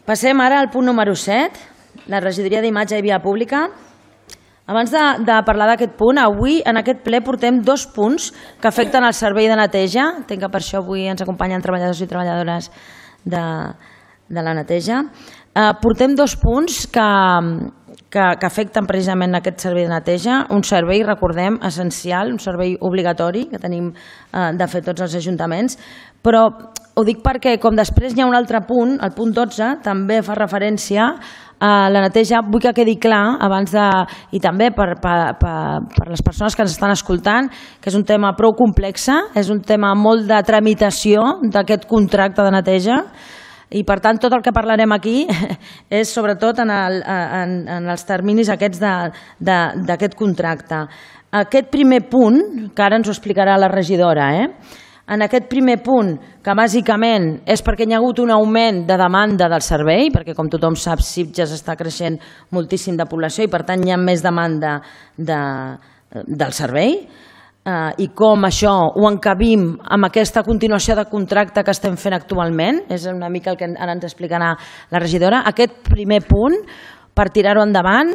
Passem ara al punt número 7, la regidoria d'imatge i via pública. Abans de parlar d'aquest punt, avui en aquest ple portem 2 punts que afecten el servei de neteja. Entenc que per això avui ens acompanyen treballadors i treballadores de la neteja. Portem 2 punts que afecten precisament aquest servei de neteja, un servei, recordem, essencial, un servei obligatori que tenim de fer tots els ajuntaments, però ho dic perquè com després hi ha un altre punt, el punt 12, també fa referència a la neteja. Vull que quedi clar abans i també per les persones que ens estan escoltant, que és un tema prou complex, és un tema molt de tramitació d'aquest contracte de neteja, i per tant tot el que parlarem aquí és sobretot en els terminis aquests d'aquest contracte. Aquest primer punt, que ara ens ho explicarà la regidora, en aquest primer punt, que bàsicament és perquè hi ha hagut un augment de demanda del servei, perquè com tothom sap Sitges està creixent moltíssim de població i per tant hi ha més demanda del servei, i com això ho encabim amb aquesta continuació de contracte que estem fent actualment, és una mica el que ara ens explicarà la regidora. Aquest primer punt, per tirar-ho endavant,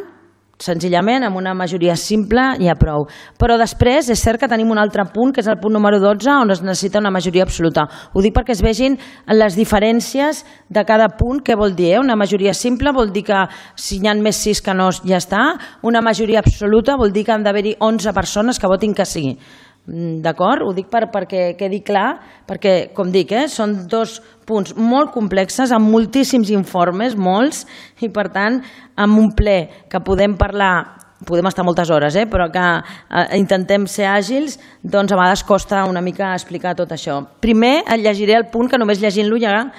senzillament amb una majoria simple ja prou. Però després és cert que tenim un altre punt, que és el punt número 12, on es necessita una majoria absoluta. Ho dic perquè es vegin les diferències de cada punt, què vol dir. Una majoria simple vol dir que si n'hi ha més 6 que no, ja està. Una majoria absoluta vol dir que han d'haver-hi 11 persones que votin que sí. D'acord? Ho dic perquè quedi clar, perquè, com dic, són 2 punts molt complexes, amb moltíssims informes, molts, i per tant, amb un ple que podem parlar, podem estar moltes hores, però que intentem ser àgils, doncs a vegades costa una mica explicar tot això. Primer et llegiré el punt, que només llegint-lo ja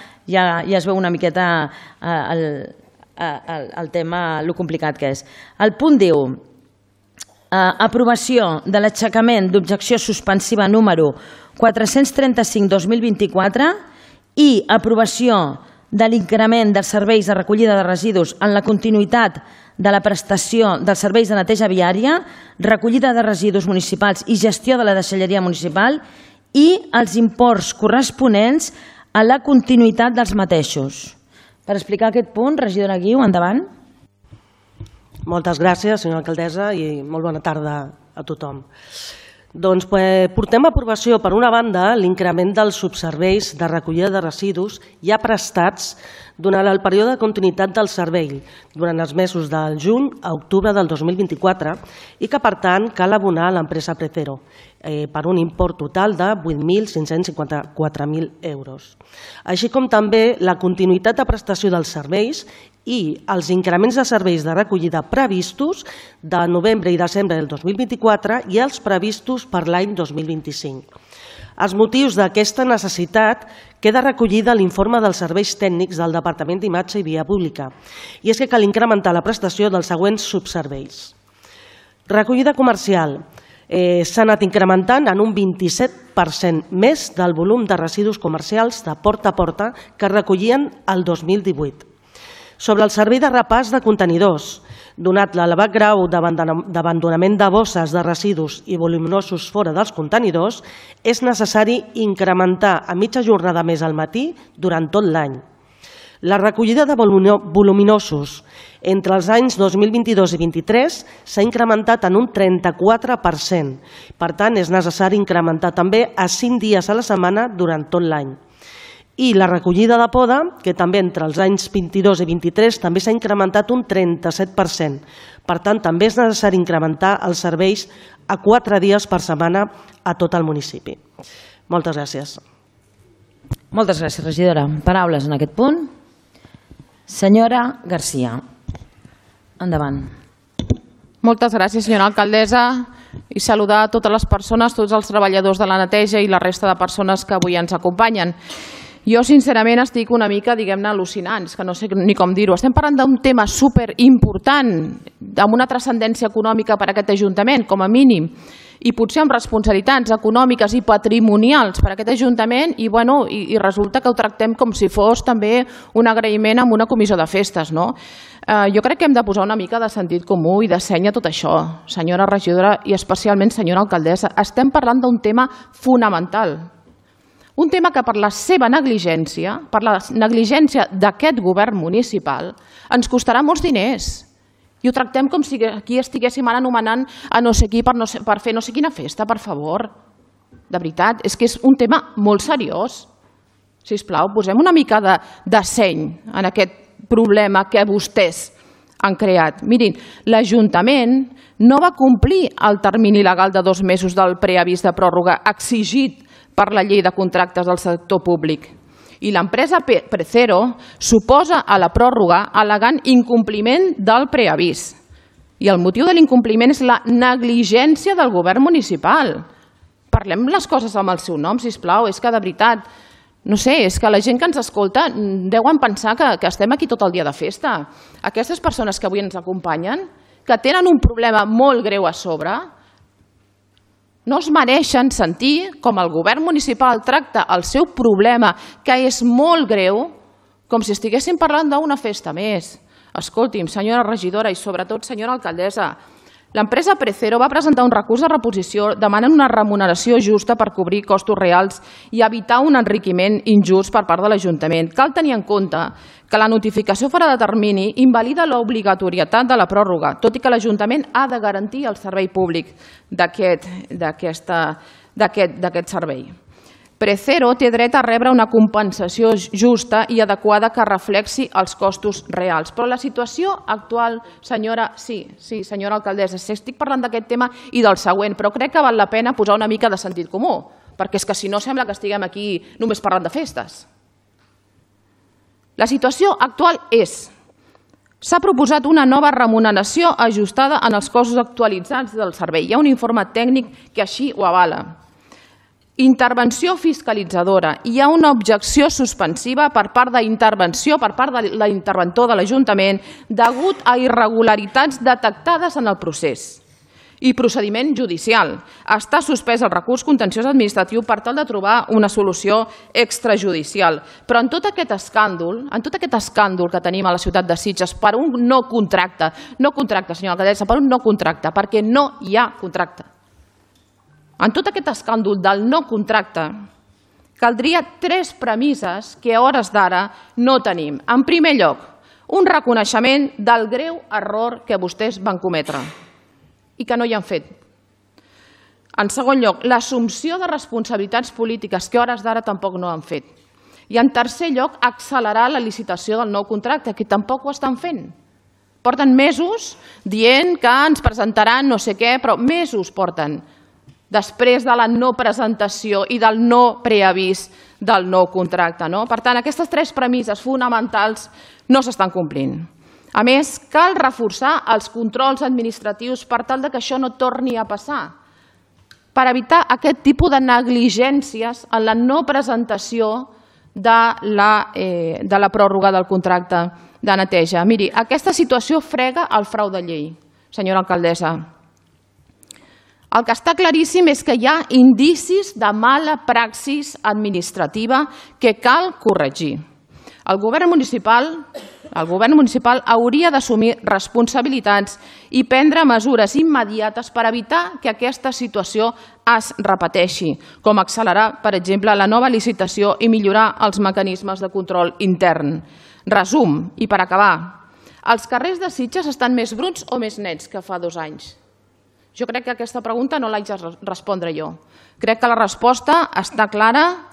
es veu una miqueta el tema, lo complicat que és. El punt diu: aprovació de l'aixecament d'objecció suspensiva número 435-2024 i aprovació de l'increment dels serveis de recollida de residus en la continuïtat de la prestació dels serveis de neteja viària, recollida de residus municipals i gestió de la deixalleria municipal i els imports corresponents a la continuïtat dels mateixos. Per explicar aquest punt, regidora Guiu, endavant. Moltes gràcies, senyora alcaldessa, i molt bona tarda a tothom. Doncs portem a aprovació, per una banda, l'increment dels subserveis de recollida de residus ja prestats durant el període de continuïtat del servei, durant els mesos del juny a octubre del 2024, i que, per tant, cal abonar a l'empresa Precero per un import total de 8.554.000 euros. Així com també la continuïtat de prestació dels serveis i els increments de serveis de recollida previstos de novembre i desembre del 2024 i els previstos per l'any 2025. Els motius d'aquesta necessitat queda recollida a l'informe dels serveis tècnics del Departament d'Imatge i Via Pública, i és que cal incrementar la prestació dels següents subserveis. Recollida comercial. S'ha anat incrementant en un 27% més del volum de residus comercials de porta a porta que recollien el 2018. Sobre el servei de repàs de contenidors, donat l'elevat grau d'abandonament de bosses de residus i voluminosos fora dels contenidors, és necessari incrementar a mitja jornada més al matí durant tot l'any. La recollida de voluminosos entre els anys 2022 i 2023 s'ha incrementat en un 34%. Per tant, és necessari incrementar també a 5 dies a la setmana durant tot l'any. I la recollida de poda, que també entre els anys 22 i 23 també s'ha incrementat un 37%. Per tant, també és necessari incrementar els serveis a 4 dies per setmana a tot el municipi. Moltes gràcies. Moltes gràcies, regidora. Paraules en aquest punt. Senyora Garcia, endavant. Moltes gràcies, senyora alcaldessa, i saludar a totes les persones, tots els treballadors de la neteja i la resta de persones que avui ens acompanyen. Jo, sincerament, estic una mica, diguem-ne, al·lucinants, que no sé ni com dir-ho. Estem parlant d'un tema superimportant, amb una transcendència econòmica per a aquest Ajuntament, com a mínim, i potser amb responsabilitats econòmiques i patrimonials per a aquest Ajuntament, i resulta que ho tractem com si fos també un agraïment amb una comissió de festes. Jo crec que hem de posar una mica de sentit comú i de seny a tot això, senyora regidora i especialment senyora alcaldessa. Estem parlant d'un tema fonamental. Un tema que per la seva negligència, per la negligència d'aquest govern municipal, ens costarà molts diners. I ho tractem com si aquí estiguéssim ara anomenant a no sé qui per fer no sé quina festa, per favor. De veritat, és que és un tema molt seriós. Sisplau, posem una mica de seny en aquest problema que vostès han creat. Mirin, l'Ajuntament no va complir el termini legal de 2 mesos del preavís de pròrroga exigit per la llei de contractes del sector públic. I l'empresa Precero s'oposa a la pròrroga al·legant incompliment del preavís. I el motiu de l'incompliment és la negligència del govern municipal. Parlem les coses amb el seu nom, sisplau. És que, de veritat, no sé, és que la gent que ens escolta deuen pensar que estem aquí tot el dia de festa. Aquestes persones que avui ens acompanyen, que tenen un problema molt greu a sobre, no es mereixen sentir com el govern municipal tracta el seu problema, que és molt greu, com si estiguéssim parlant d'una festa més. Escolti'm, senyora regidora i sobretot senyora alcaldessa, l'empresa Precero va presentar un recurs de reposició demanant una remuneració justa per cobrir costos reals i evitar un enriquiment injust per part de l'Ajuntament. Cal tenir en compte que la notificació fora de termini invalida l'obligatorietat de la pròrroga, tot i que l'Ajuntament ha de garantir el servei públic d'aquest servei. Precero té dret a rebre una compensació justa i adequada que reflexi els costos reals. Però la situació actual, senyora alcaldessa, estic parlant d'aquest tema i del següent, però crec que val la pena posar una mica de sentit comú, perquè és que si no sembla que estiguem aquí només parlant de festes. La situació actual és: s'ha proposat una nova remuneració ajustada en els costos actualitzats del servei. Hi ha un informe tècnic que així ho avala. Intervenció fiscalitzadora. Hi ha una objecció suspensiva per part de l'interventor de l'Ajuntament degut a irregularitats detectades en el procés. I procediment judicial. Està suspès el recurs contenciós administratiu per tal de trobar una solució extrajudicial. Però en tot aquest escàndol que tenim a la ciutat de Sitges per un no contracte, senyora alcaldessa, per un no contracte, perquè no hi ha contracte. En tot aquest escàndol del no contracte, caldria 3 premisses que a hores d'ara no tenim. En primer lloc, un reconeixement del greu error que vostès van cometre i que no hi han fet. En segon lloc, l'assumpció de responsabilitats polítiques que a hores d'ara tampoc no han fet. I en tercer lloc, accelerar la licitació del nou contracte, que tampoc ho estan fent. Porten mesos dient que ens presentaran no sé què, però mesos porten després de la no presentació i del no preavís del nou contracte. Per tant, aquestes 3 premisses fonamentals no s'estan complint. A més, cal reforçar els controls administratius per tal que això no torni a passar, per evitar aquest tipus de negligències en la no presentació de la pròrroga del contracte de neteja. Miri, aquesta situació frega el frau de llei, senyora alcaldessa. El que està claríssim és que hi ha indicis de mala praxis administrativa que cal corregir. El govern municipal hauria d'assumir responsabilitats i prendre mesures immediates per evitar que aquesta situació es repeteixi, com accelerar, per exemple, la nova licitació i millorar els mecanismes de control intern. Resum, i per acabar, els carrers de Sitges estan més bruts o més nets que fa 2 anys? Jo crec que aquesta pregunta no l'haig de respondre jo. Crec que la resposta està clara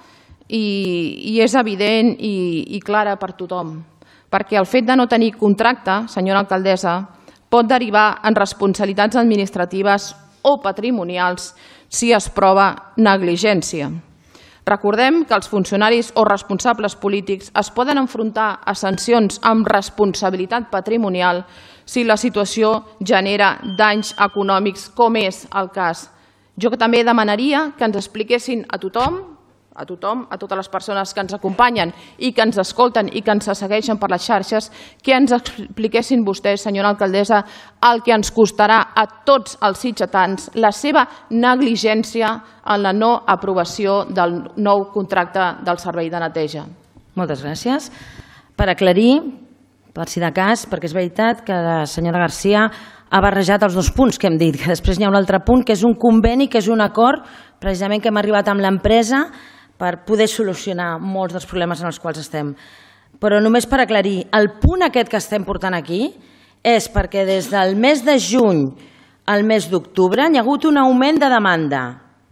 i és evident i clara per tothom. Perquè el fet de no tenir contracte, senyora alcaldessa, pot derivar en responsabilitats administratives o patrimonials si es prova negligència. Recordem que els funcionaris o responsables polítics es poden enfrontar a sancions amb responsabilitat patrimonial si la situació genera danys econòmics, com és el cas. Jo també demanaria que ens expliquessin a tothom, a totes les persones que ens acompanyen i que ens escolten i que ens segueixen per les xarxes, que ens expliquessin vostès, senyora alcaldessa, el que ens costarà a tots els sitgetans la seva negligència en la no aprovació del nou contracte del servei de neteja. Moltes gràcies. Per aclarir, per si de cas, perquè és veritat que la senyora Garcia ha barrejat els 2 punts que hem dit, que després hi ha un altre punt, que és un conveni, que és un acord, precisament que hem arribat amb l'empresa per poder solucionar molts dels problemes en els quals estem. Però només per aclarir, el punt aquest que estem portant aquí és perquè des del mes de juny al mes d'octubre hi ha hagut un augment de demanda,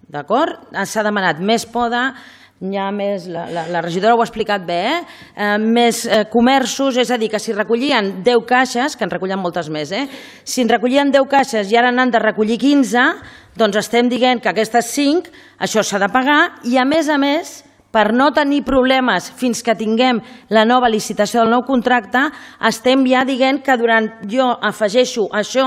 d'acord? S'ha demanat més poda, hi ha més, la regidora ho ha explicat bé, més comerços, és a dir, que si recollien 10 caixes, que en recollen moltes més, si en recollien 10 caixes i ara n'han de recollir 15, doncs estem dient que aquestes 5, això s'ha de pagar i a més, per no tenir problemes fins que tinguem la nova licitació del nou contracte, estem ja dient que jo afegeixo això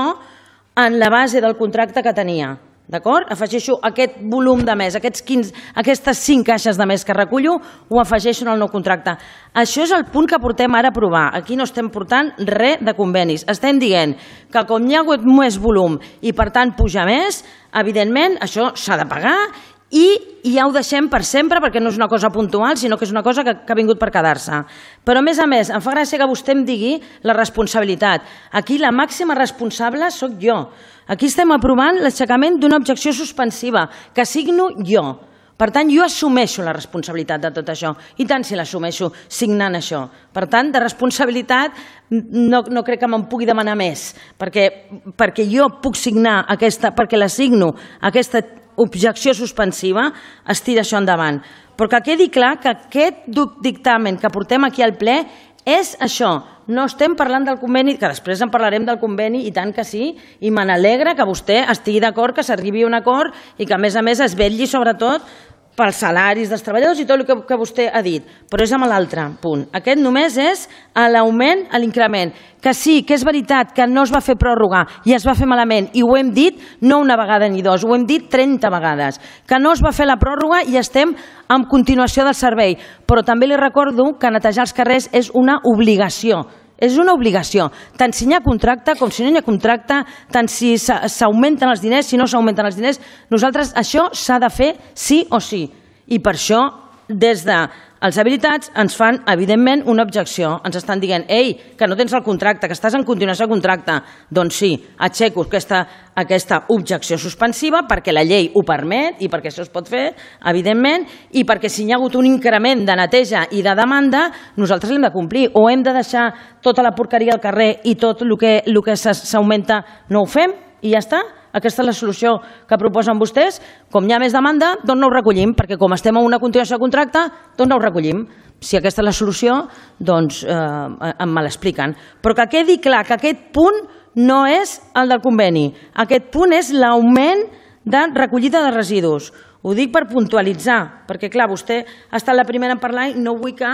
en la base del contracte que tenia. D'acord? Afegeixo aquest volum de més, aquestes 5 caixes de més que recullo, ho afegeixo en el nou contracte. Això és el punt que portem ara a aprovar. Aquí no estem portant res de convenis. Estem dient que com hi ha hagut més volum i per tant puja més, evidentment això s'ha de pagar i ja ho deixem per sempre perquè no és una cosa puntual, sinó que és una cosa que ha vingut per quedar-se. Però a més, em fa gràcia que vostè em digui la responsabilitat. Aquí la màxima responsable sóc jo. Aquí estem aprovant l'aixecament d'una objecció suspensiva que signo jo. Per tant, jo assumeixo la responsabilitat de tot això. I tant si l'assumeixo signant això. Per tant, de responsabilitat no crec que me'n pugui demanar més, perquè jo puc signar perquè la signo aquesta objecció suspensiva, es tira això endavant. Però que quedi clar que aquest dictamen que portem aquí al ple és això. No estem parlant del conveni, que després en parlarem del conveni, i tant que sí, i me n'alegra que vostè estigui d'acord, que s'arribi a un acord i que a més es vetlli sobretot pels salaris dels treballadors i tot el que vostè ha dit. Però és amb l'altre punt. Aquest només és l'augment, l'increment. Que sí, que és veritat que no es va fer pròrroga i es va fer malament, i ho hem dit no una vegada ni dos, ho hem dit 30 vegades, que no es va fer la pròrroga i estem en continuació del servei. Però també li recordo que netejar els carrers és una obligació. És una obligació, tant si hi ha contracte com si no hi ha contracte, tant si s'augmenten els diners, si no s'augmenten els diners. Nosaltres això s'ha de fer sí o sí. I per això, des dels habilitats, ens fan, evidentment, una objecció. Ens estan dient, ei, que no tens el contracte, que estàs en continuació de contracte. Doncs sí, aixeco aquesta objecció suspensiva perquè la llei ho permet i perquè això es pot fer, evidentment, i perquè si hi ha hagut un increment de neteja i de demanda, nosaltres l'hem de complir. O hem de deixar tota la porqueria al carrer i tot el que s'augmenta no ho fem i ja està? Aquesta és la solució que proposen vostès. Com hi ha més demanda, doncs no ho recollim, perquè com estem en una continuació de contracte, doncs no ho recollim. Si aquesta és la solució, doncs me l'expliquen. Però que quedi clar que aquest punt no és el del conveni. Aquest punt és l'augment de recollida de residus. Ho dic per puntualitzar, perquè clar, vostè ha estat la primera en parlar i no vull que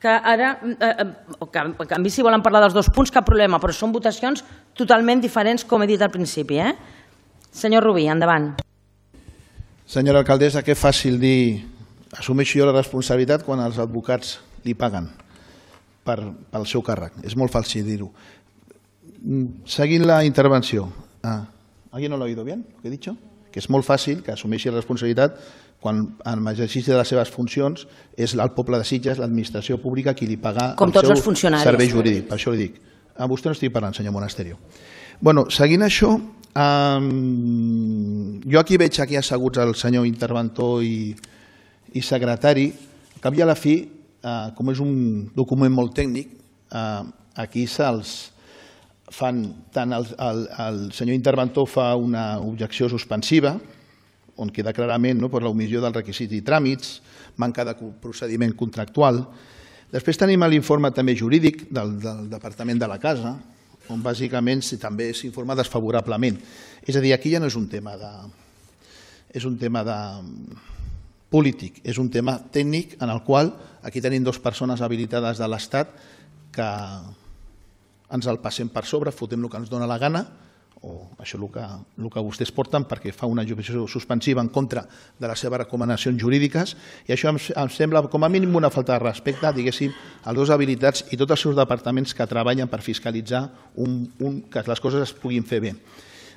ara, en canvi si volen parlar dels dos punts, cap problema, però són votacions totalment diferents, com he dit al principi. Senyor Rubí, endavant. Senyora alcaldessa, que fàcil dir assumeixo jo la responsabilitat quan els advocats li paguen pel seu càrrec. És molt fàcil dir-ho. Seguint la intervenció. ¿Alguien no lo ha oído bien, lo que he dicho? Que és molt fàcil que assumeixi la responsabilitat quan en l'exercici de les seves funcions és el poble de Sitges, l'administració pública, qui li paga el seu servei jurídic. Per això li dic. A vostè no estic parlant, senyor Monasterio. Seguint això, jo aquí veig asseguts el senyor interventor i secretari. Al cap i a la fi, com és un document molt tècnic, aquí se'ls fan, tant el senyor interventor fa una objecció suspensiva, on queda clarament per l'omissió del requisit i tràmits, manca de procediment contractual. Després tenim l'informe també jurídic del Departament de la Casa, on bàsicament també s'informa desfavorablement. És a dir, aquí ja no és un tema polític, és un tema tècnic en el qual aquí tenim dues persones habilitades de l'Estat que ens el passem per sobre, fotem el que ens dona la gana, o això el que vostès porten perquè fa una objecció suspensiva en contra de les seves recomanacions jurídiques, i això em sembla com a mínim una falta de respecte, diguéssim, als dos habilitats i tots els seus departaments que treballen per fiscalitzar que les coses es puguin fer bé.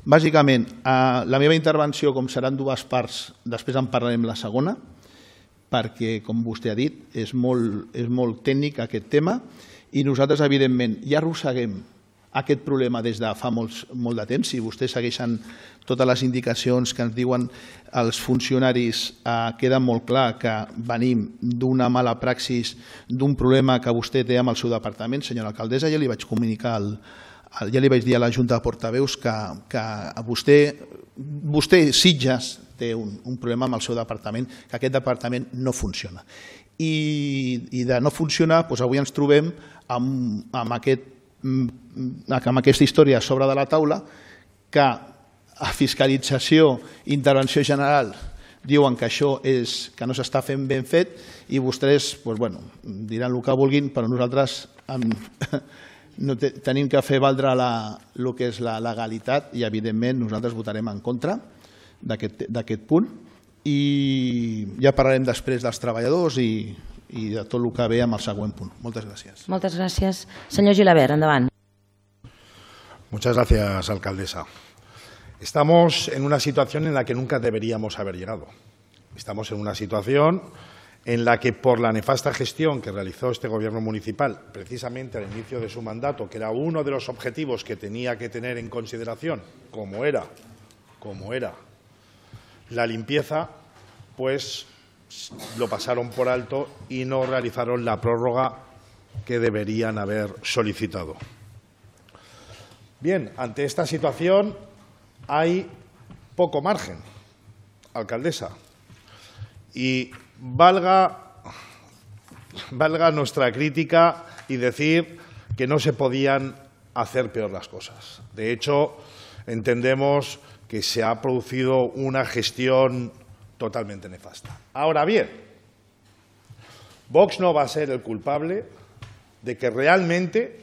Bàsicament, la meva intervenció, com seran dues parts, després en parlarem la segona, perquè, com vostè ha dit, és molt tècnic aquest tema, i nosaltres, evidentment, ja arrosseguem aquest problema des de fa molt de temps. Si vostès segueixen totes les indicacions que ens diuen els funcionaris, queda molt clar que venim d'una mala praxis, d'un problema que vostè té amb el seu departament. Senyora alcaldessa, ja li vaig comunicar, ja li vaig dir a la Junta de Portaveus que vostè, Sitges, té un problema amb el seu departament, que aquest departament no funciona. I de no funcionar, avui ens trobem amb aquesta història a sobre de la taula, que a fiscalització i intervenció general diuen que això que no s'està fent ben fet i vostès diran el que vulguin, però nosaltres tenim que fer valdre el que és la legalitat i, evidentment, nosaltres votarem en contra d'aquest punt i ja parlarem després dels treballadors i de tot el que ve amb el següent punt. Moltes gràcies. Moltes gràcies. Senyor Gilabert, endavant. Muchas gracias, alcaldesa. Estamos en una situación en la que nunca deberíamos haber llegado. Estamos en una situación en la que, por la nefasta gestión que realizó este gobierno municipal, precisamente al inicio de su mandato, que era uno de los objetivos que tenía que tener en consideración, como era la limpieza, pues lo pasaron por alto y no realizaron la prórroga que deberían haber solicitado. Bien, ante esta situación hay poco margen, alcaldesa, y valga nuestra crítica y decir que no se podían hacer peor las cosas. De hecho, entendemos que se ha producido una gestión totalmente nefasta. Ahora bien, Vox no va a ser el culpable de que realmente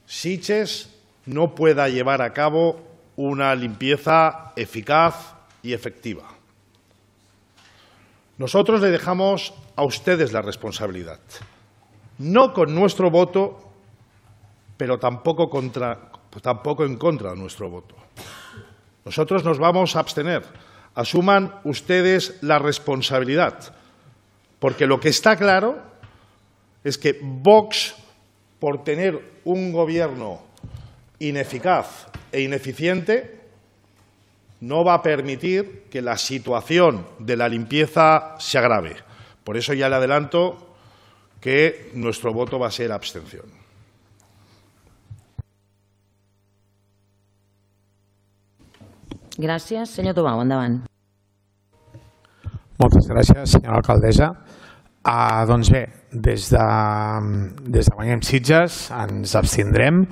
Sitges no pueda llevar a cabo una limpieza eficaz y efectiva. Nosotros le dejamos a ustedes la responsabilidad, no con nuestro voto, pero tampoco en contra de nuestro voto. Nosotros nos vamos a abstener. Asuman ustedes la responsabilidad, porque lo que está claro es que Vox, por tener un gobierno ineficaz e ineficiente, no va a permitir que la situación de la limpieza se agrave. Por eso ya le adelanto que nuestro voto va a ser abstención. Gràcies. Senyor Tomau, endavant. Moltes gràcies, senyora alcaldessa. Doncs bé, des de Guanyem Sitges ens abstindrem.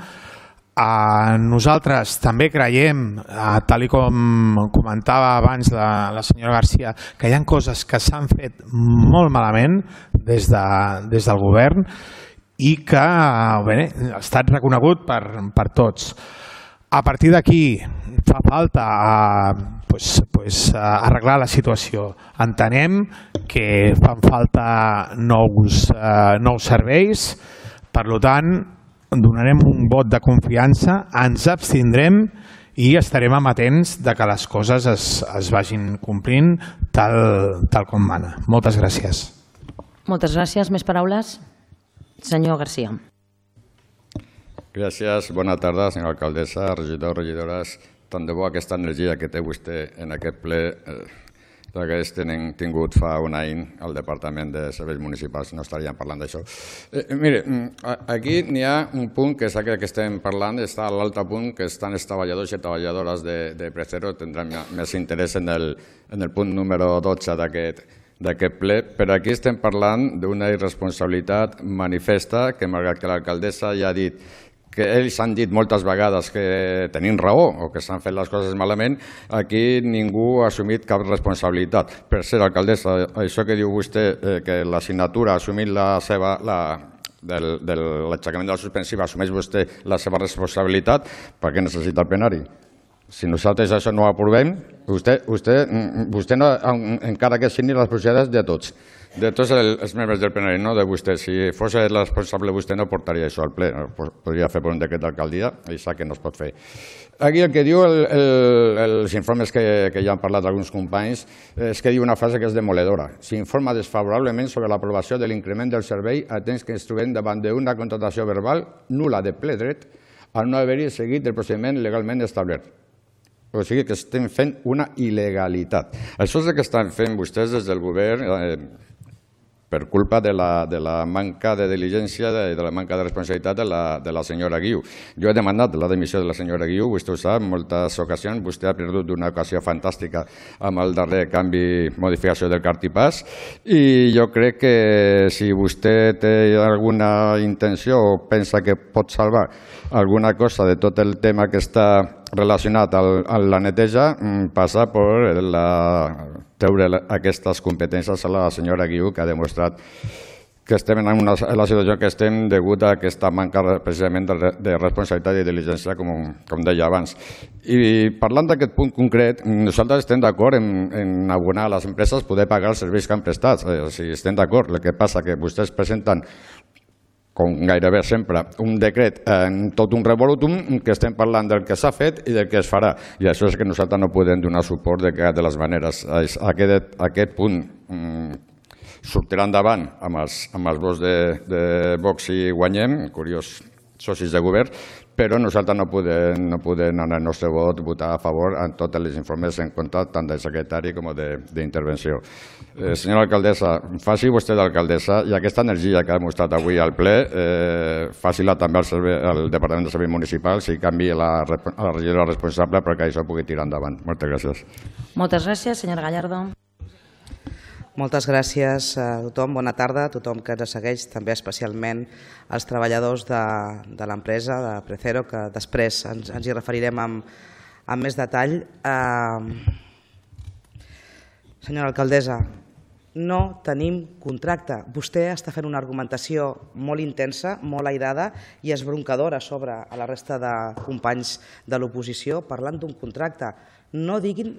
Nosaltres també creiem, tal com comentava abans la senyora Garcia, que hi ha coses que s'han fet molt malament des del govern i que ha estat reconegut per tots. A partir d'aquí fa falta arreglar la situació. Entenem que fan falta nous serveis, per tant, donarem un vot de confiança, ens abstindrem i estarem amatents que les coses es vagin complint tal com mana. Moltes gràcies. Moltes gràcies. Més paraules? Senyor Garcia. Gràcies. Bona tarda, senyora alcaldessa, regidors, regidores. Tant de bo aquesta energia que té vostè en aquest ple l'hagués tingut fa un any al Departament de Serveis Municipals, no estaríem parlant d'això. Mire, aquí n'hi ha un punt que és aquest que estem parlant, està a l'altre punt, que estan els treballadors i treballadores de Precero, tindran més interès en el punt número 12 d'aquest ple, però aquí estem parlant d'una irresponsabilitat manifesta que, malgrat que l'alcaldessa ja ha dit que ells han dit moltes vegades que tenim raó o que s'han fet les coses malament, aquí ningú ha assumit cap responsabilitat. Per ser alcaldessa, això que diu vostè, que la signatura ha assumit de l'aixecament de la suspensiva, assumeix vostè la seva responsabilitat, per què necessita el plenari? Si nosaltres això no ho aprovem, vostè no, encara que signi les procedures de tots els membres del plenari, no de vostè. Si fos el responsable, vostè no portaria això al ple. Podria fer per un decret d'alcaldia i sap que no es pot fer. Aquí el que diu els informes que ja han parlat alguns companys és que diu una frase que és demoledora. S'informa desfavorablement sobre l'aprovació de l'increment del servei atès que ens trobem davant d'una contractació verbal nul·la de ple dret al no haver-hi seguit el procediment legalment establert. O sigui que estem fent una il·legalitat. Això és el que estan fent vostès des del govern per culpa de la manca de diligència i de la manca de responsabilitat de la senyora Guiu. Jo he demanat la dimissió de la senyora Guiu, vostè ho sap, en moltes ocasions. Vostè ha perdut una ocasió fantàstica amb el darrer canvi, modificació del cartipàs, i jo crec que si vostè té alguna intenció o pensa que pot salvar alguna cosa de tot el tema que està relacionat a la neteja, passa per treure aquestes competències a la senyora Guiu, que ha demostrat que estem en la situació que estem degut a aquesta manca precisament de responsabilitat i diligència, com deia abans. I parlant d'aquest punt concret, nosaltres estem d'acord en abonar a les empreses poder pagar els serveis que han prestat. Estem d'acord. El que passa que vostès presenten, com gairebé sempre, un decret en tot un revolutum que estem parlant del que s'ha fet i del que es farà. I això és que nosaltres no podem donar suport de cap de les maneres. Aquest punt sortirà endavant amb els vots de Vox i Guanyem, curiós socis de govern, però nosaltres no podem en el nostre vot votar a favor en tots els informes en contra tant del secretari com d'intervenció. Senyora alcaldessa, faci vostè d'alcaldessa i aquesta energia que ha demostrat avui al ple, faci-la també al Departament de Serveis Municipals i canvi a la regidora responsable perquè això pugui tirar endavant. Moltes gràcies. Moltes gràcies, senyora Gallardo. Moltes gràcies a tothom, bona tarda a tothom que ens segueix, també especialment als treballadors de l'empresa, de Precero, que després ens hi referirem amb més detall. Senyora alcaldessa, no tenim contracte. Vostè està fent una argumentació molt intensa, molt airada i esbroncadora sobre a la resta de companys de l'oposició parlant d'un contracte. No diguin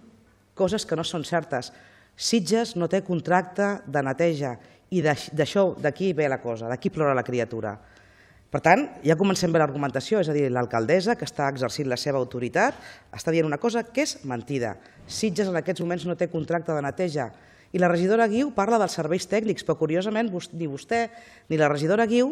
coses que no són certes. Sitges no té contracte de neteja i d'aquí ve la cosa, d'aquí plora la criatura. Per tant, ja comencem bé l'argumentació, és a dir, l'alcaldessa que està exercint la seva autoritat està dient una cosa que és mentida. Sitges en aquests moments no té contracte de neteja i la regidora Guiu parla dels serveis tècnics, però curiosament ni vostè ni la regidora Guiu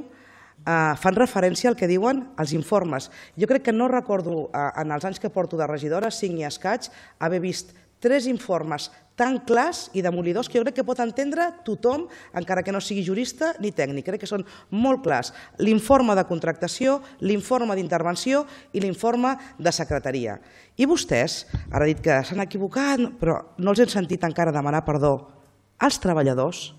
fan referència al que diuen els informes. Jo crec que no recordo en els anys que porto de regidora, 5 i escaig, haver vist 3 informes tan clars i demolidors que jo crec que pot entendre tothom, encara que no sigui jurista ni tècnic. Crec que són molt clars. L'informe de contractació, l'informe d'intervenció i l'informe de secretaria. I vostès, ara he dit que s'han equivocat, però no els hem sentit encara demanar perdó als treballadors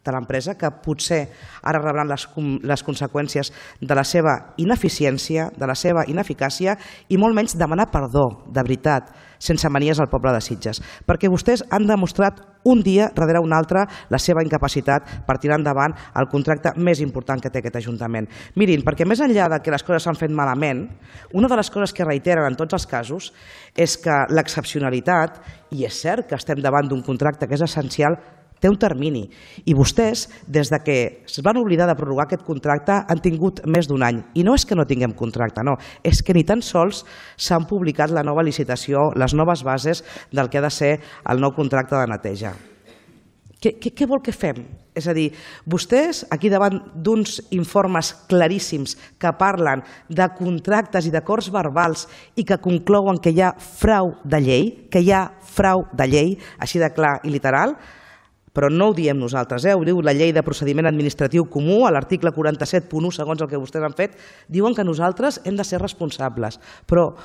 de l'empresa, que potser ara rebran les conseqüències de la seva ineficiència, de la seva ineficàcia i molt menys demanar perdó, de veritat, sense manies al poble de Sitges, perquè vostès han demostrat un dia darrere un altre la seva incapacitat per tirar endavant el contracte més important que té aquest Ajuntament. Mirin, perquè més enllà de que les coses s'han fet malament, una de les coses que reiteren en tots els casos és que l'excepcionalitat, i és cert que estem davant d'un contracte que és essencial, té un termini i vostès, des que es van oblidar de prorrogar aquest contracte, han tingut més d'un any. I no és que no tinguem contracte, no, és que ni tan sols s'han publicat la nova licitació, les noves bases del que ha de ser el nou contracte de neteja. Què vol que fem? És a dir, vostès, aquí davant d'uns informes claríssims que parlen de contractes i d'acords verbals i que conclouen que hi ha frau de llei, així de clar i literal, però no ho diem nosaltres, ho diu la llei de procediment administratiu comú, a l'article 47.1, segons el que vostès han fet, diuen que nosaltres hem de ser responsables. Però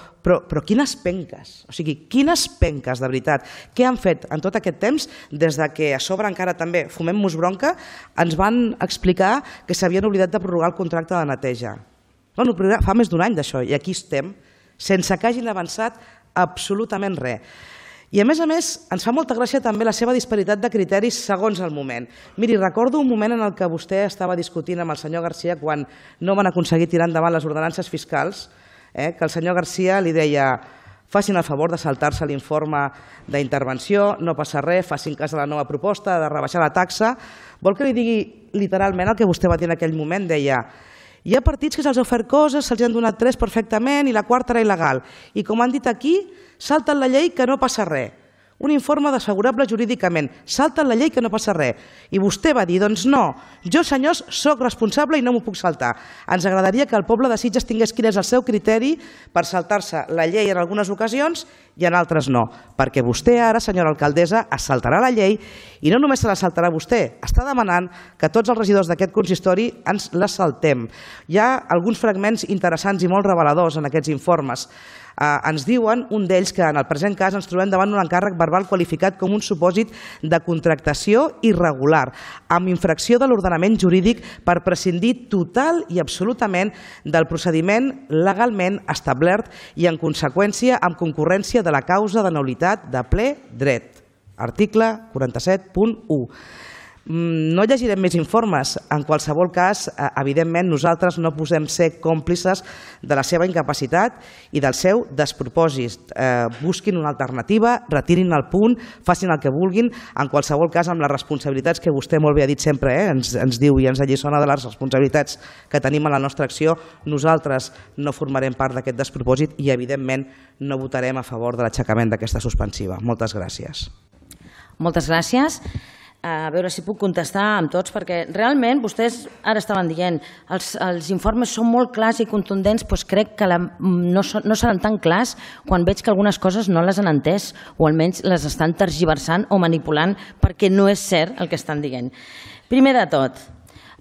quines penques, o sigui, quines penques, de veritat. Què han fet en tot aquest temps, des que a sobre encara també, fumem-nos bronca, ens van explicar que s'havien oblidat de prorrogar el contracte de neteja. Fa més d'un any d'això, i aquí estem, sense que hagin avançat absolutament res. I a més, ens fa molta gràcia també la seva disparitat de criteris segons el moment. Miri, recordo un moment en el que vostè estava discutint amb el senyor Garcia quan no van aconseguir tirar endavant les ordenances fiscals, que el senyor Garcia li deia facin el favor de saltar-se l'informe d'intervenció, no passa res, facin cas de la nova proposta de rebaixar la taxa. Vol que li digui literalment el que vostè va dir en aquell moment? Deia: hi ha partits que se'ls ha ofert coses, se'ls han donat 3 perfectament i la quarta era il·legal. I com han dit aquí, salten la llei que no passa res. Un informe desfavorable jurídicament. Salten la llei que no passa res. I vostè va dir, doncs no, jo senyors soc responsable i no m'ho puc saltar. Ens agradaria que el poble de Sitges tingués quin és el seu criteri per saltar-se la llei en algunes ocasions i en altres no. Perquè vostè ara, senyora alcaldessa, es saltarà la llei i no només se la saltarà vostè, està demanant que tots els regidors d'aquest consistori ens la saltem. Hi ha alguns fragments interessants i molt reveladors en aquests informes. Ens diuen, un d'ells, que en el present cas ens trobem davant un encàrrec verbal qualificat com un supòsit de contractació irregular, amb infracció de l'ordenament jurídic per prescindir total i absolutament del procediment legalment establert i, en conseqüència, amb concurrència de la causa de nul·litat de ple dret. Article 47.1. No llegirem més informes. En qualsevol cas, evidentment, nosaltres no podem ser còmplices de la seva incapacitat i del seu despropòsit. Busquin una alternativa, retirin el punt, facin el que vulguin, en qualsevol cas amb les responsabilitats que vostè molt bé ha dit sempre, ens diu i ens alliçona de les responsabilitats que tenim en la nostra acció. Nosaltres no formarem part d'aquest despropòsit i, evidentment, no votarem a favor de l'aixecament d'aquesta suspensiva. Moltes gràcies. Moltes gràcies. A veure si puc contestar amb tots, perquè realment vostès ara estaven dient els informes són molt clars i contundents, doncs crec que no seran tan clars quan veig que algunes coses no les han entès o almenys les estan tergiversant o manipulant perquè no és cert el que estan dient. Primer de tot,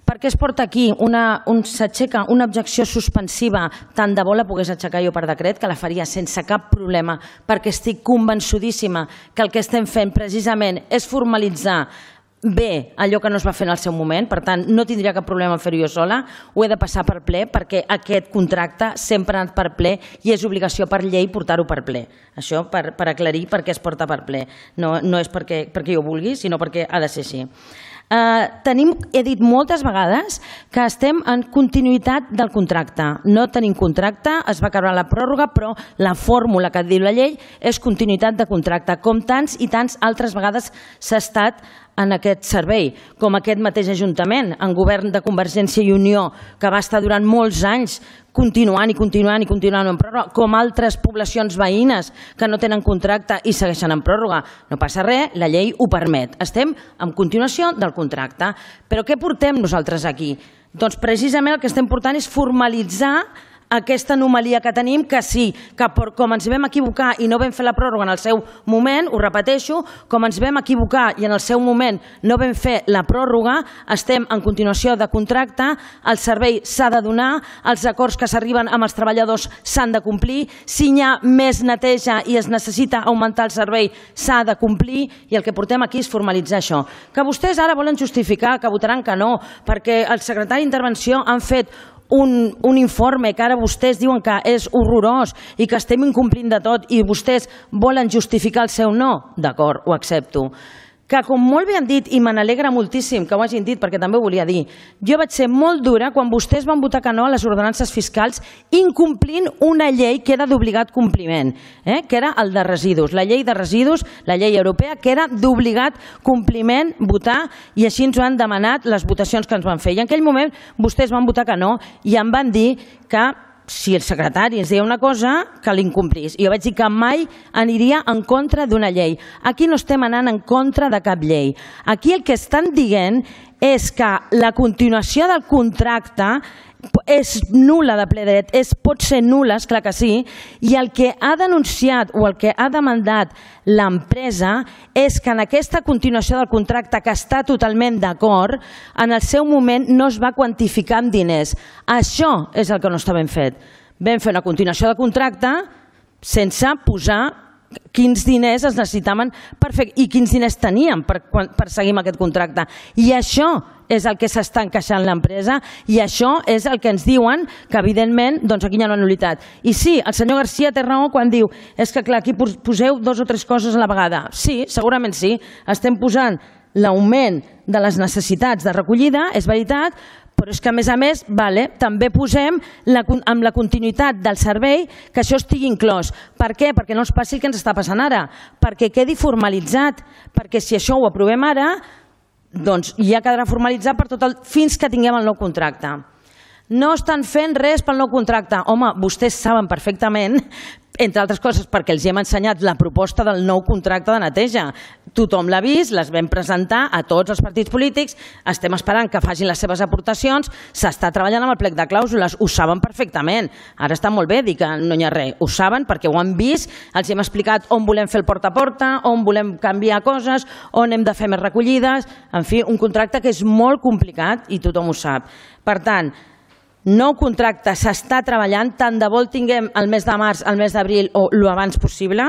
per què es porta aquí s'aixeca una objecció suspensiva? Tant de bo la pogués aixecar jo per decret, que la faria sense cap problema, perquè estic convençudíssima que el que estem fent precisament és formalitzar bé allò que no es va fer en el seu moment, per tant no tindria cap problema en fer-ho jo sola, ho he de passar per ple perquè aquest contracte sempre ha anat per ple i és obligació per llei portar-ho per ple. Això per aclarir per què es porta per ple. No és perquè jo vulgui, sinó perquè ha de ser així. He dit moltes vegades que estem en continuïtat del contracte. No tenim contracte, es va acabar la pròrroga, però la fórmula que diu la llei és continuïtat de contracte, com tants i tants altres vegades s'ha estat en aquest servei, com aquest mateix Ajuntament, en govern de Convergència i Unió, que va estar durant molts anys continuant en pròrroga, com altres poblacions veïnes que no tenen contracte i segueixen en pròrroga. No passa res, la llei ho permet. Estem en continuació del contracte. Però què portem nosaltres aquí? Doncs precisament el que estem portant és formalitzar aquesta anomalia que tenim, que sí, que com ens vam equivocar i no vam fer la pròrroga en el seu moment, ho repeteixo, com ens vam equivocar i en el seu moment no vam fer la pròrroga, estem en continuació de contracte, el servei s'ha de donar, els acords que s'arriben amb els treballadors s'han de complir, si hi ha més neteja i es necessita augmentar el servei s'ha de complir i el que portem aquí és formalitzar això. Que vostès ara volen justificar que votaran que no, perquè el secretari d'intervenció han fet un informe que ara vostès diuen que és horrorós i que estem incomplint de tot i vostès volen justificar el seu no, d'acord, ho accepto. Que com molt bé han dit, i me n'alegra moltíssim que ho hagin dit perquè també ho volia dir, jo vaig ser molt dura quan vostès van votar que no a les ordenances fiscals incomplint una llei que era d'obligat compliment, que era el de residus, la llei de residus, la llei europea, que era d'obligat compliment votar i així ens ho han demanat les votacions que ens van fer. I en aquell moment vostès van votar que no i em van dir que si el secretari ens deia una cosa, que l'incomplís. I jo vaig dir que mai aniria en contra d'una llei. Aquí no estem anant en contra de cap llei. Aquí el que estan dient és que la continuació del contracte és nul·la de ple dret, pot ser nul·la, esclar que sí, i el que ha denunciat o el que ha demandat l'empresa és que en aquesta continuació del contracte, que està totalment d'acord, en el seu moment no es va quantificar amb diners. Això és el que no està ben fet. Vam fer una continuació de contracte sense posar quins diners es necessitaven per fer i quins diners teníem per seguir amb aquest contracte. I això és el que s'està encaixant l'empresa i això és el que ens diuen que evidentment aquí hi ha una nul·litat. I sí, el senyor García té raó quan diu és que clar, aquí poseu 2 o 3 coses a la vegada. Sí, segurament sí. Estem posant l'augment de les necessitats de recollida, és veritat, Però és que, a més, també posem amb la continuïtat del servei que això estigui inclòs. Per què? Perquè no ens passi el que ens està passant ara, perquè quedi formalitzat, perquè si això ho aprovem ara, doncs ja quedarà formalitzat fins que tinguem el nou contracte. No estan fent res pel nou contracte. Home, vostès saben perfectament, entre altres coses perquè els hem ensenyat la proposta del nou contracte de neteja. Tothom l'ha vist, les vam presentar a tots els partits polítics, estem esperant que facin les seves aportacions, s'està treballant amb el plec de clàusules, ho saben perfectament. Ara està molt bé dir que no hi ha res, ho saben perquè ho han vist, els hem explicat on volem fer el porta a porta, on volem canviar coses, on hem de fer més recollides, en fi, un contracte que és molt complicat i tothom ho sap. Per tant, nou contracte s'està treballant, tant de bo el tinguem el mes de març, el mes d'abril o l'abans possible,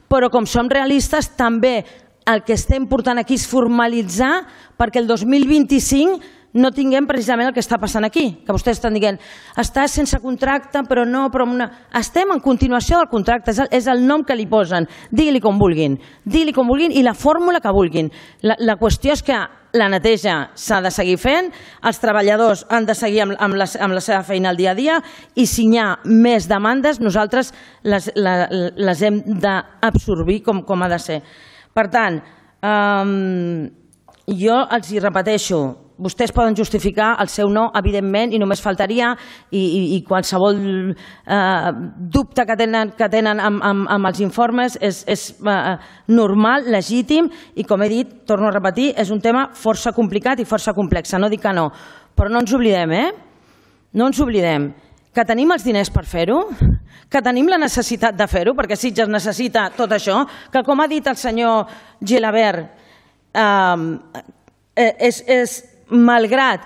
però com som realistes també el que estem portant aquí és formalitzar perquè el 2025 no tinguem precisament el que està passant aquí, que vostès estan dient està sense contracte però no, estem en continuació del contracte, és el nom que li posen, digui-li com vulguin i la fórmula que vulguin. La qüestió és que la neteja s'ha de seguir fent, els treballadors han de seguir amb la seva feina al dia a dia i si hi ha més demandes nosaltres les hem d'absorbir com ha de ser. Per tant, jo els hi repeteixo, vostès poden justificar el seu no, evidentment, i només faltaria, i qualsevol dubte que tenen amb els informes és normal, legítim, i com he dit, torno a repetir, és un tema força complicat i força complex, no dic que no, però no ens oblidem, no ens oblidem que tenim els diners per fer-ho, que tenim la necessitat de fer-ho, perquè Sitges necessita tot això, que com ha dit el senyor Gilabert, malgrat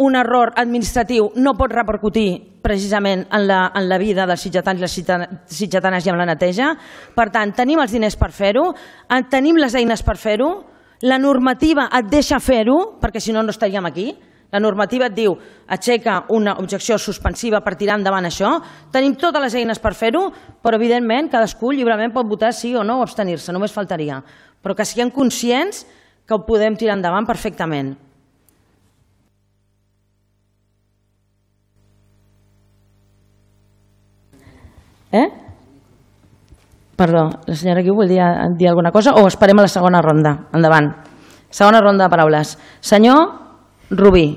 un error administratiu no pot repercutir precisament en la vida dels sitgetans i les sitgetanes i en la neteja. Per tant, tenim els diners per fer-ho, tenim les eines per fer-ho, la normativa et deixa fer-ho, perquè si no, no estaríem aquí. La normativa et diu, aixeca una objecció suspensiva per tirar endavant això, tenim totes les eines per fer-ho, però evidentment cadascú lliurement pot votar sí o no o abstenir-se, només faltaria. Però que siguem conscients que ho podem tirar endavant perfectament. Perdó, la senyora Guiu volia dir alguna cosa o esperem a la segona ronda? Endavant. Segona ronda de paraules. Senyor Rubí.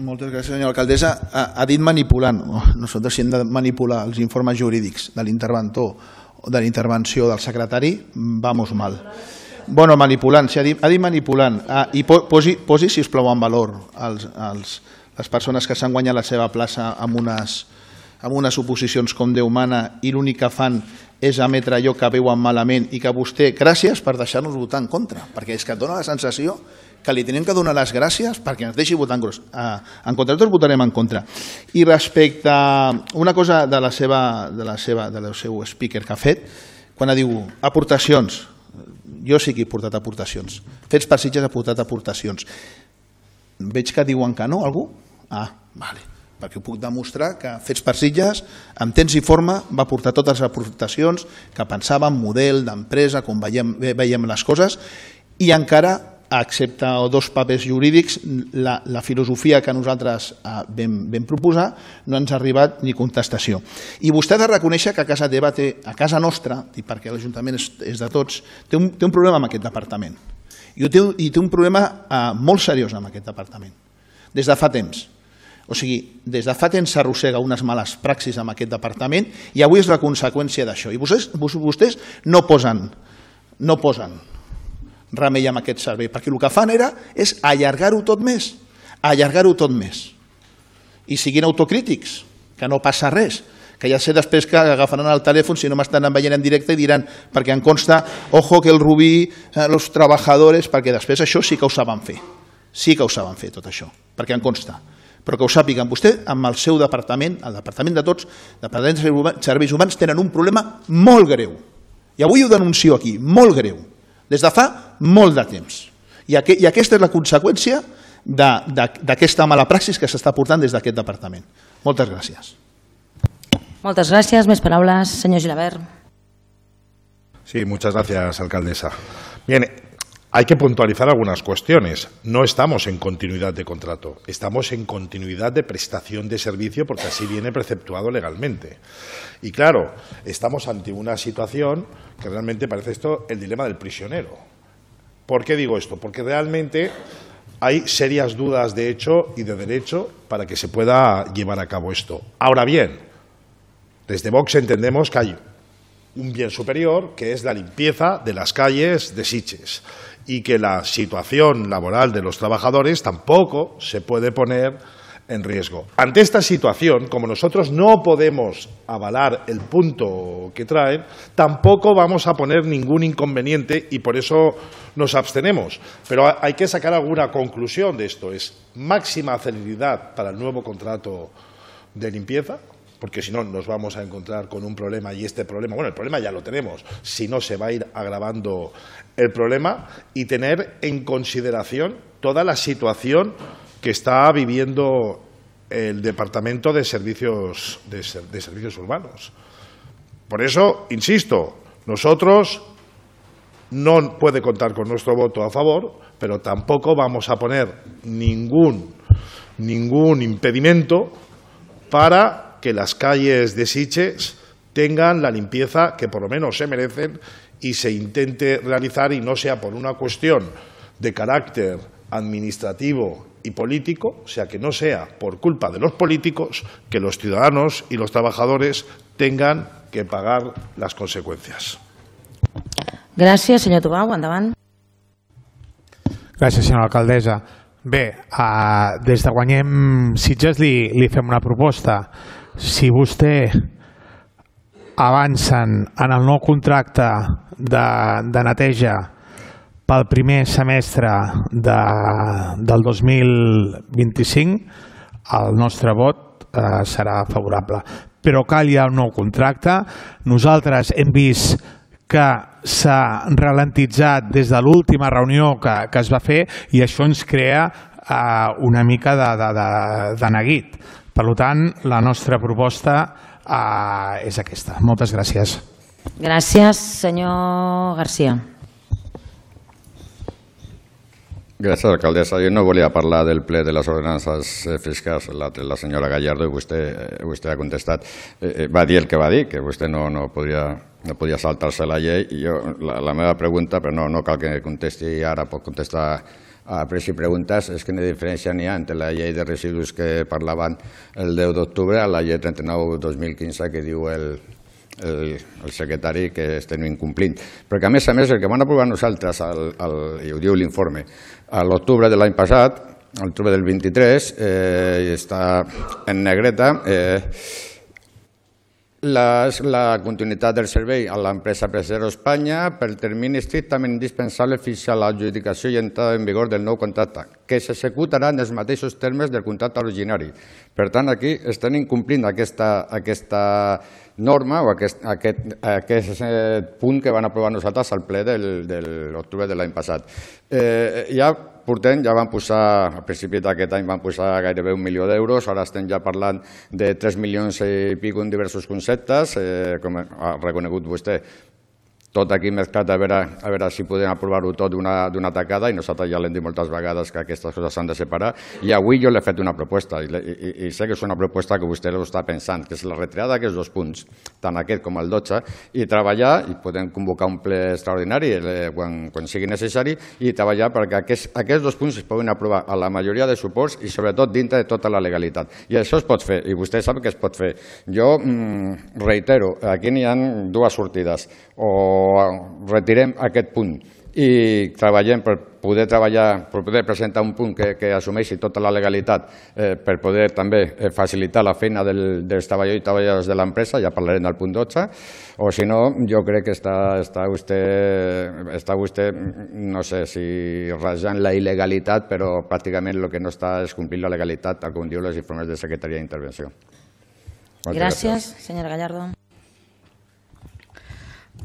Moltes gràcies, senyora alcaldessa. Ha dit manipulant. Nosaltres si hem de manipular els informes jurídics de l'interventor o de la intervenció del secretari, vamos mal. Bueno, manipulant, ha dit manipulant. I posi, sisplau, en valor les persones que s'han guanyat la seva plaça amb unes oposicions com Déu mana i l'únic que fan és emetre allò que veuen malament i que vostè, gràcies per deixar-nos votar en contra, perquè és que et dona la sensació que li tenim que donar les gràcies perquè ens deixi votar en contra. Tots votarem en contra. I respecte a una cosa del seu speaker que ha fet, quan diu aportacions, jo sí que he portat aportacions. Fets per Sitges ha portat aportacions. Veig que diuen que no, algú? Vale. Perquè puc demostrar que Fets per Sitges, amb temps i forma, va portar totes les aportacions que pensàvem, model d'empresa, com veiem les coses, i encara, excepte dos papers jurídics, la filosofia que nosaltres vam proposar no ens ha arribat ni contestació. I vostè ha de reconèixer que a casa teva, a casa nostra, perquè l'Ajuntament és de tots, té un problema amb aquest departament. I té un problema molt seriós amb aquest departament, des de fa temps. O sigui, des de fa temps s'arrossega unes males praxis amb aquest departament i avui és la conseqüència d'això. I vostès no posen remei amb aquest servei, perquè el que fan és allargar-ho tot més, I siguin autocrítics, que no passa res, que ja sé després que agafaran el telèfon si no m'estan veient en directe i diran, perquè em consta, ojo que el Rubí, los trabajadores, perquè després això sí que ho saben fer. Sí que ho saben fer tot això, perquè em consta. Però que ho sàpiguen, vostè amb el seu departament, el departament de tots, el departament de serveis humans, tenen un problema molt greu. I avui ho denuncio aquí, molt greu, des de fa molt de temps. I aquesta és la conseqüència d'aquesta mala praxis que s'està portant des d'aquest departament. Moltes gràcies. Moltes gràcies. Més paraules, senyor Gilabert. Sí, muchas gracias, alcaldesa. Bien, hay que puntualizar algunas cuestiones. No estamos en continuidad de contrato, estamos en continuidad de prestación de servicio porque así viene preceptuado legalmente. Y claro, estamos ante una situación que realmente parece esto el dilema del prisionero. ¿Por qué digo esto? Porque realmente hay serias dudas de hecho y de derecho para que se pueda llevar a cabo esto. Ahora bien, desde Vox entendemos que hay un bien superior, que es la limpieza de las calles de Sitges, y que la situación laboral de los trabajadores tampoco se puede poner en riesgo. Ante esta situación, como nosotros no podemos avalar el punto que traen, tampoco vamos a poner ningún inconveniente y por eso nos abstenemos. Pero hay que sacar alguna conclusión de esto. Es máxima celeridad para el nuevo contrato de limpieza, porque si no nos vamos a encontrar con un problema y este problema, bueno, el problema ya lo tenemos, si no se va a ir agravando el problema, y tener en consideración toda la situación que está viviendo el Departamento de Servicios Urbanos. Por eso, insisto, nosotros no puede contar con nuestro voto a favor, pero tampoco vamos a poner ningún impedimento para que las calles de Sitges tengan la limpieza que por lo menos se merecen y se intente realizar, y no sea por una cuestión de carácter administrativo y político, o sea, que no sea por culpa de los políticos que los ciudadanos y los trabajadores tengan que pagar las consecuencias. Gràcies, senyor Tubau. Endavant. Gràcies, senyora alcaldessa. Bé, des de Guanyem Sitges li fem una proposta. Si vostè avancen en el nou contracte de neteja pel primer semestre del 2025, el nostre vot serà favorable. Però cal ja un nou contracte. Nosaltres hem vist que s'ha ralentitzat des de l'última reunió que es va fer i això ens crea una mica de neguit. Per tant, la nostra proposta és aquesta. Moltes gràcies. Gràcies, senyor García. Gràcies, alcaldessa. Jo no volia parlar del ple de les ordenances fiscals. La senyora Gallardo, vostè ha contestat. Va dir el que va dir, que vostè no podia saltar-se la llei. I la meva pregunta, però no cal que contesti ara, pot contestar a pres i preguntes, és quina diferència n'hi ha entre la llei de residus que parlaven el 10 d'octubre a la llei 39-2015 que diu el secretari que estem incomplint. Perquè a més el que van aprovar nosaltres, i ho diu l'informe, a l'octubre de l'any passat, a l'octubre del 23, està en negreta, la continuïtat del servei a l'empresa Presero Espanya pel termini estrictament indispensable fins a l'adjudicació i entrada en vigor del nou contracte, que s'executarà en els mateixos termes del contracte originari. Per tant, aquí estan incomplint aquesta norma o aquest punt que van aprovar nosaltres al ple de l'octubre de l'any passat. Ja van posar, a principi d'aquest any van posar gairebé 1 milió d'euros, ara estem ja parlant de 3 milions i pico en diversos conceptes, com ha reconegut vostè. Tot aquí mesclat a veure si podem aprovar-ho tot d'una tacada, i nosaltres ja l'hem dit moltes vegades que aquestes coses s'han de separar, i avui jo l'he fet una proposta, i sé que és una proposta que vostè ho està pensant, que és la retirada d'aquests 2 punts, tant aquest com el 12, i treballar, i podem convocar un ple extraordinari quan sigui necessari, i treballar perquè aquests 2 punts es poden aprovar a la majoria de suports i sobretot dintre de tota la legalitat. I això es pot fer, i vostè sap que es pot fer. Jo reitero, aquí n'hi ha 2 sortides, o retirem aquest punt i treballem per poder presentar un punt que assumeixi tota la legalitat per poder també facilitar la feina dels treballadors i treballadores de l'empresa, ja parlarem del punt 12, o si no, jo crec que està vostè, no sé si rajant la il·legalitat, però pràcticament el que no està és complir la legalitat, tal com diu les informes de Secretaria d'Intervenció. Gràcies, senyora Gallardo.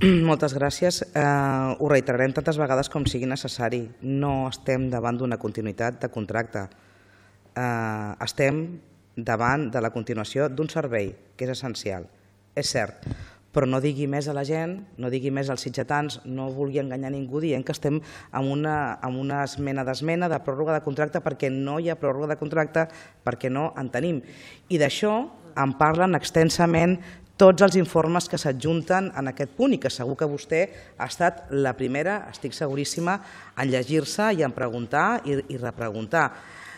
Moltes gràcies. Ho reiterarem tantes vegades com sigui necessari. No estem davant d'una continuïtat de contracte. Estem davant de la continuació d'un servei que és essencial. És cert, però no digui més a la gent, no digui més als sitgetans, no vulgui enganyar ningú dient que estem en una esmena d'esmena de pròrroga de contracte perquè no hi ha pròrroga de contracte, perquè no en tenim. I d'això en parlen extensament tots els informes que s'adjunten en aquest punt i que segur que vostè ha estat la primera, estic seguríssima, en llegir-se i en preguntar i repreguntar.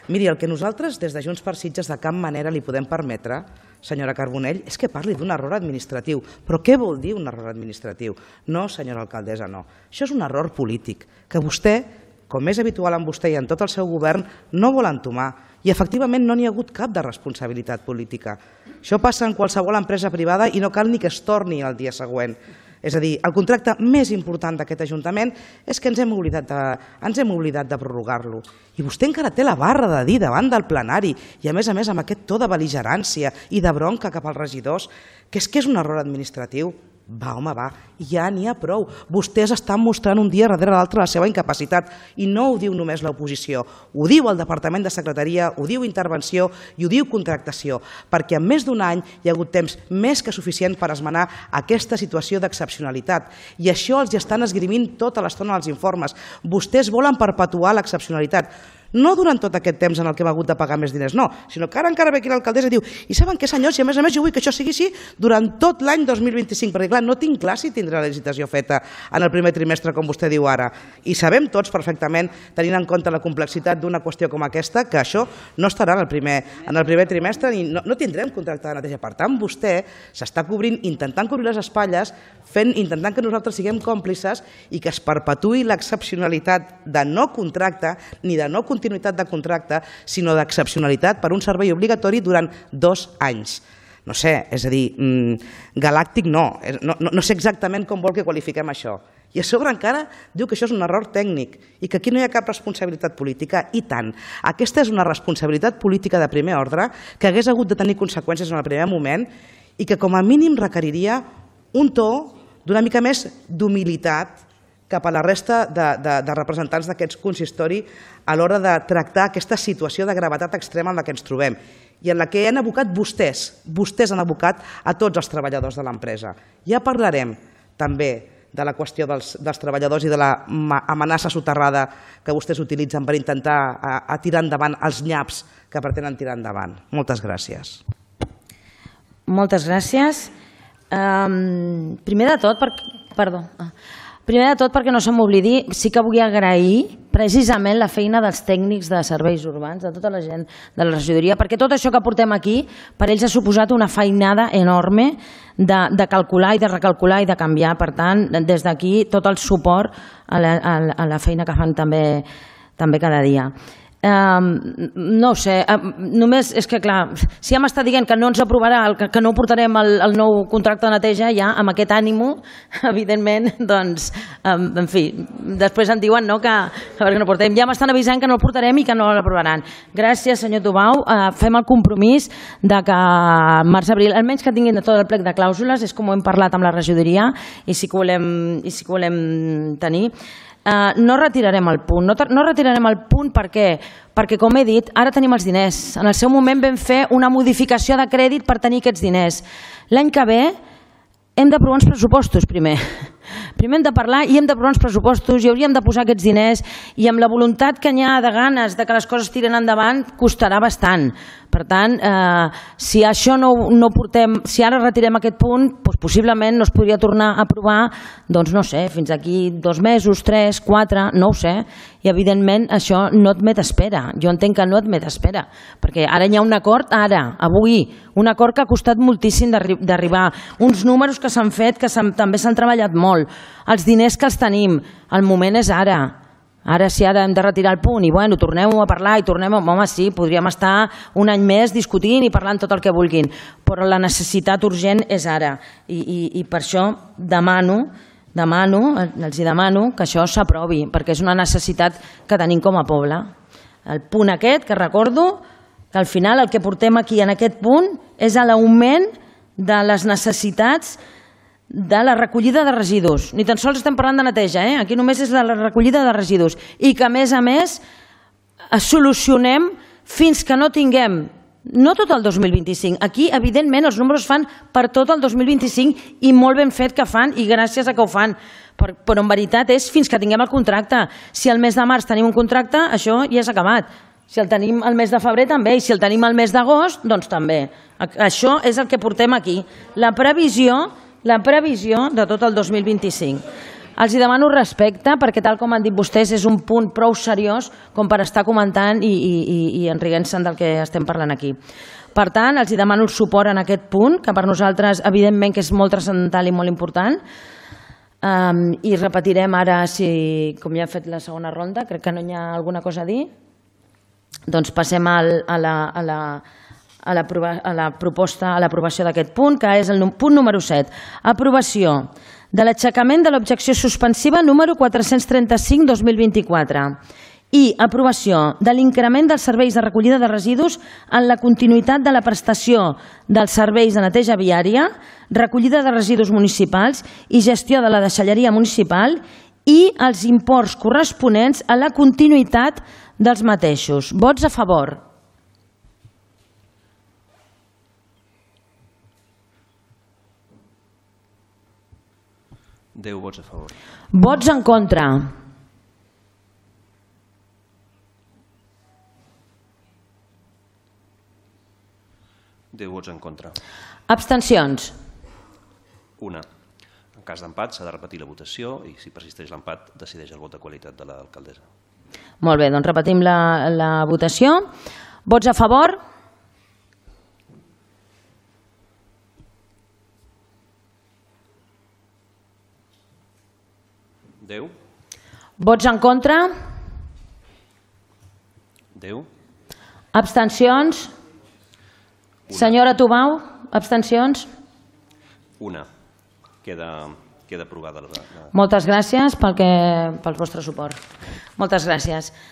Miri, el que nosaltres des de Junts per Sitges de cap manera li podem permetre, senyora Carbonell, és que parli d'un error administratiu. Però què vol dir un error administratiu? No, senyora alcaldessa, no. Això és un error polític que vostè, com és habitual en vostè i en tot el seu govern, no vol entomar. I efectivament no n'hi ha hagut cap de responsabilitat política. Això passa en qualsevol empresa privada i no cal ni que es torni el dia següent. És a dir, el contracte més important d'aquest Ajuntament és que ens hem oblidat de prorrogar-lo. I vostè encara té la barra de dir davant del plenari, i a més amb aquest to de bel·ligerància i de bronca cap als regidors, que és un error administratiu. Va, home, va, ja n'hi ha prou. Vostès estan mostrant un dia darrere l'altre la seva incapacitat i no ho diu només l'oposició, ho diu el Departament de Secretaria, ho diu Intervenció i ho diu Contractació, perquè en més d'un any hi ha hagut temps més que suficient per esmenar aquesta situació d'excepcionalitat i això els estan esgrimint tota l'estona als informes. Vostès volen perpetuar l'excepcionalitat. No durant tot aquest temps en el que hem hagut de pagar més diners, no, sinó que ara encara ve aquí l'alcaldessa i diu i saben què, senyors, i a més jo vull que això sigui així durant tot l'any 2025, perquè clar, no tinc clar si tindrà la licitació feta en el primer trimestre, com vostè diu ara. I sabem tots perfectament, tenint en compte la complexitat d'una qüestió com aquesta, que això no estarà en el primer trimestre i no tindrem contracte de neteja. Per tant, vostè s'està cobrint, intentant cobrir les espatlles, intentant que nosaltres siguem còmplices i que es perpetuï l'excepcionalitat de no contracte ni de no continuïtat de contracte, sinó d'excepcionalitat per un servei obligatori durant 2 anys. No sé, és a dir, galàctic no sé exactament com vol que qualifiquem això. I a sobre encara diu que això és un error tècnic i que aquí no hi ha cap responsabilitat política. I tant, aquesta és una responsabilitat política de primer ordre que hagués hagut de tenir conseqüències en el primer moment i que com a mínim requeriria un to d'una mica més d'humilitat cap a la resta de representants d'aquests consistori a l'hora de tractar aquesta situació de gravetat extrema en la que ens trobem i en la que han abocat vostès han abocat a tots els treballadors de l'empresa. Ja parlarem també de la qüestió dels treballadors i de l'amenaça soterrada que vostès utilitzen per intentar tirar endavant els nyaps que pretenen tirar endavant. Moltes gràcies. Moltes gràcies. Primer de tot, perquè no se m'oblidi, sí que vull agrair precisament la feina dels tècnics de serveis urbans, de tota la gent de la regidoria, perquè tot això que portem aquí per ells ha suposat una feinada enorme de calcular i de recalcular i de canviar. Per tant, des d'aquí tot el suport a la feina que fan també cada dia. No ho sé, només és que clar, si ja m'està dient que no ens aprovarà, que no portarem el nou contracte de neteja, ja amb aquest ànimo, evidentment, doncs, en fi, després em diuen que no portem, ja m'estan avisant que no el portarem i que no l'aprovaran. Gràcies, senyor Tubau, fem el compromís de que març-abril, almenys que tinguin tot el plec de clàusules, és com ho hem parlat amb la regidoria i sí que volem tenir. No retirarem el punt. No retirarem el punt perquè, com he dit, ara tenim els diners. En el seu moment vam fer una modificació de crèdit per tenir aquests diners. L'any que ve hem d'aprovar uns pressupostos primer. Primer hem de parlar i hem d'aprovar uns pressupostos i hauríem de posar aquests diners i amb la voluntat que n'hi ha de ganes de que les coses tiren endavant costarà bastant. Per tant, si això no portem, si ara retirem aquest punt, doncs possiblement no es podria tornar a aprovar, doncs no sé, fins aquí 2 mesos, 3, 4, no ho sé. I evidentment això no admet espera. Jo entenc que no admet espera, perquè ara hi ha un acord, avui, un acord que ha costat moltíssim d'arribar, uns números que s'han fet, que també s'han treballat molt, els diners que els tenim, el moment és ara. Ara si ara hem de retirar el punt i bueno, tornem-ho a parlar i home sí, podríem estar un any més discutint i parlant tot el que vulguin, però la necessitat urgent és ara i per això els demano que això s'aprovi, perquè és una necessitat que tenim com a poble. El punt aquest, que recordo, que al final el que portem aquí en aquest punt és l'augment de les necessitats de la recollida de residus. Ni tan sols estem parlant de neteja, aquí només és de la recollida de residus. I que a més solucionem fins que no tinguem No tot el 2025. Aquí, evidentment, els números fan per tot el 2025 i molt ben fet que fan i gràcies a que ho fan. Però en veritat és fins que tinguem el contracte. Si el mes de març tenim un contracte, això ja s'ha acabat. Si el tenim el mes de febrer també, i si el tenim el mes d'agost, doncs també. Això és el que portem aquí. La previsió de tot el 2025. Els demano respecte perquè, tal com han dit vostès, és un punt prou seriós com per estar comentant i enriguent-se'n del que estem parlant aquí. Per tant, els demano el suport en aquest punt, que per nosaltres, evidentment, que és molt transcendental i molt important. I repetirem ara, com ja hem fet la segona ronda, crec que no hi ha alguna cosa a dir, doncs passem a l'aprovació d'aquest punt, que és el punt número 7. Aprovació de l'aixecament de l'objecció suspensiva número 435-2024 i aprovació de l'increment dels serveis de recollida de residus en la continuïtat de la prestació dels serveis de neteja viària, recollida de residus municipals i gestió de la deixalleria municipal i els imports corresponents a la continuïtat dels mateixos. Vots a favor? Deu vots a favor. Vots en contra? Deu vots en contra. Abstencions? Una. En cas d'empat s'ha de repetir la votació i si persisteix l'empat decideix el vot de qualitat de l'alcaldessa. Molt bé, doncs repetim la votació. Vots a favor? Deu. Vots en contra? Deu. Abstencions? Senyora Tubau, abstencions? Una. Queda aprovada. Moltes gràcies pel vostre suport. Moltes gràcies.